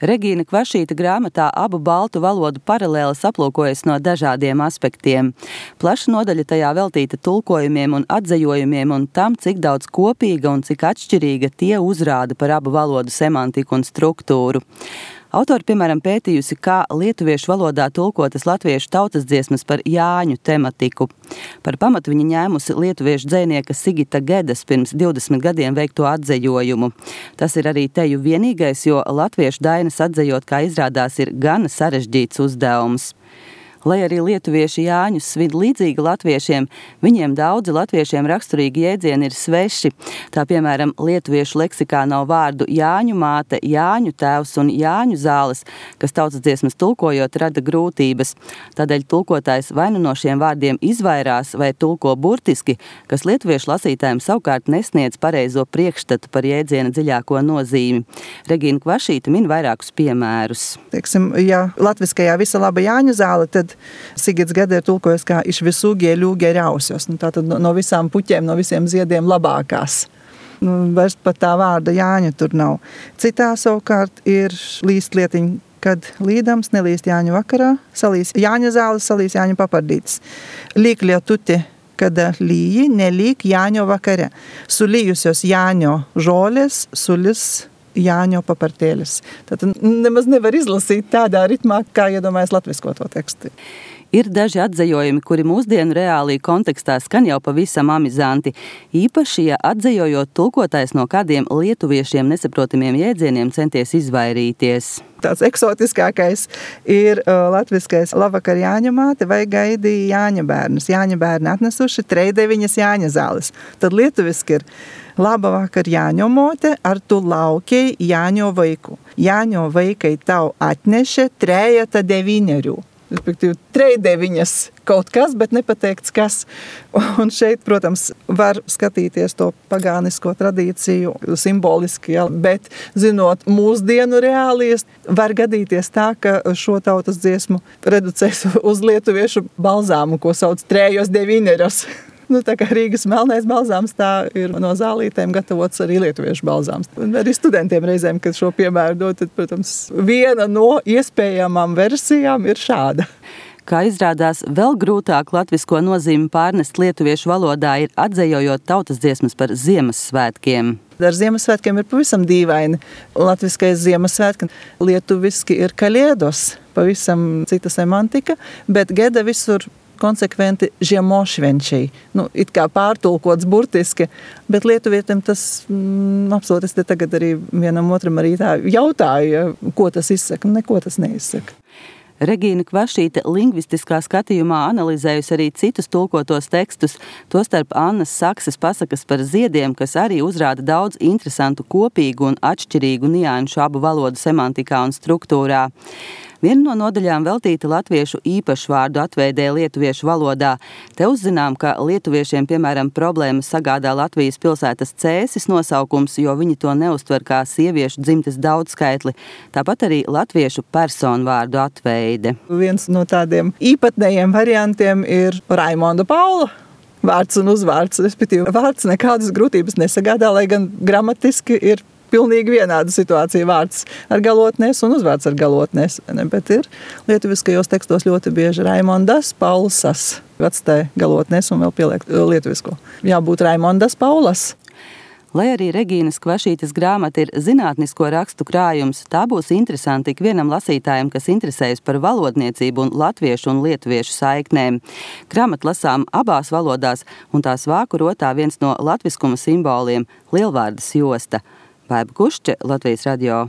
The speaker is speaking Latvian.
Regīna Kvašīta grāmatā abu baltu valodu paralēles aplūkojas no dažādiem aspektiem. Plaša nodaļa tajā veltīta tulkojumiem un atzejojumiem un tam, cik daudz kopīga un cik atšķirīga tie uzrāda par abu valodu semantiku un struktūru. Autori, piemēram, pētījusi, kā lietuviešu valodā tulkotas latviešu tautasdziesmas par Jāņu tematiku. Par pamatu viņa ņēmusi lietuviešu dzejnieka Sigita Gedas pirms 20 gadiem veikto atzejojumu. Tas ir arī teju vienīgais, jo latviešu dainas atzejot, kā izrādās, ir gana sarežģīts uzdevums. Lai arī lietuvieši Jāņus svin līdzīgi latviešiem, viņiem daudzi latviešiem raksturīgi jēdzieni ir sveši. Tā, piemēram, lietuviešu leksikā nav vārdu Jāņu māte, Jāņu tēvs un Jāņu zāles, kas tautasdziesmas tulkojot rada grūtības. Tādēļ tulkotājs vai nu no šiem vārdiem izvairās vai tulko burtiski, kas lietuviešu lasītājiem savukārt nesniedz pareizo priekšstatu par jēdziena dziļāko nozīmi. Regīna Kvašīta min vairākus piemērus. Teiksim, ja latviskajā visa laba Jāņu zāle, tad Sigits Geda ir tulkojis kā iš visų gėlių geriausios. Tātad no visām puķiem, no visiem ziediem labākās. Vairs pat tā vārda Jāņa tur nav. Citā savukārt ir līst lietiņa, kad līdams nelīst Jāņu vakarā, salīs Jāņa zāles, salīs Jāņu papardītes. Līk lietuti, kad līji, nelīk Jāņo vakare. Sulījusios Jāņo žolės, sulis Jāņo papartēļas. Tātad nemaz nevar izlasīt tādā ritmā, kā iedomājas latvisko to tekstu. Ir daži atzejojumi, kuri mūsdienu reālī kontekstā skan jau pavisam amizanti. Īpaši, ja atzejojot tulkotājs no kādiem lietuviešiem nesaprotamiem jēdzieniem centies izvairīties. Tāds eksotiskākais ir latviskais labvakar Jāņa māte vai gaidīja Jāņa bērnus. Jāņa bērni atnesuši 3-9 Jāņa zāles. Tad lietuviski ir laba vakar Jāņo mote, ar tu laukiai Jāņo vaiku. Jāņo vaikai tau atneše 3-9. Respektīvi, 3-9 kaut kas, bet nepateikts kas. Un šeit, protams, var skatīties to pagānisko tradīciju simboliski, ja, bet zinot mūsdienu reālijas, var gadīties tā, ka šo tautas dziesmu reducēs uz lietuviešu balzāmu, ko sauc 3-9. Tā kā Rīgas melnais balzāms, tā ir no zālītēm gatavots arī lietuviešu balzāms. Un arī studentiem reizēm, kad šo piemēru dod, tad, protams, viena no iespējamām versijām ir šāda. Kā izrādās, vēl grūtāk latvisko nozīmi pārnest lietuviešu valodā ir atzejojot tautasdziesmas par Ziemassvētkiem. Ar Ziemassvētkiem ir pavisam dīvaini. Latviskais Ziemassvētki, lietuviski ir kaliedos, pavisam cita semantika, bet Geda visur konsekventi žiemošvenčiai. It kā pārtulkots burtiski, bet lietuvietim tas absolūti, es te tagad arī vienam otram arī tā jautāju, ko tas izsaka, neko tas neizsaka. Regīna Kvašīta lingvistiskā skatījumā analizējusi arī citus tulkotos tekstus, tostarp Annas Sakses pasakas par ziediem, kas arī uzrāda daudz interesantu kopīgu un atšķirīgu nianšu abu valodu semantikā un struktūrā. Viena no nodaļām veltīta latviešu īpašvārdu atveidē lietuviešu valodā. Te uzzinām, ka lietuviešiem, piemēram, problēmas sagādā Latvijas pilsētas Cēsis nosaukums, jo viņi to neuztver kā sieviešu dzimtes daudzskaitli. Tāpat arī latviešu personvārdu atveide. Viens no tādiem īpatnējiem variantiem ir Raimonda Paula. Vārds un uzvārds, respektīvi vārds nekādas grūtības nesagādā, lai gan gramatiski ir pilnīgi vienāda situācija, vārds ar galotnēs un uzvārds ar galotnēs. Bet ir lietuviskajos tekstos ļoti bieži Raimondas Paulsas. Atstāja galotnēs un vēl pieliek lietuvisko. Jābūt Raimondas Paulas. Lai arī Regīnas Kvašītas grāmata ir zinātnisko rakstu krājums, tā būs interesanti ikvienam lasītājam, kas interesējas par valodniecību un latviešu un lietuviešu saiknēm. Grāmata lasām abās valodās, un tās vāku rotā viens no latviskuma simboliem – lielvārdas josta. Baiba Kušče, Latvijas radio.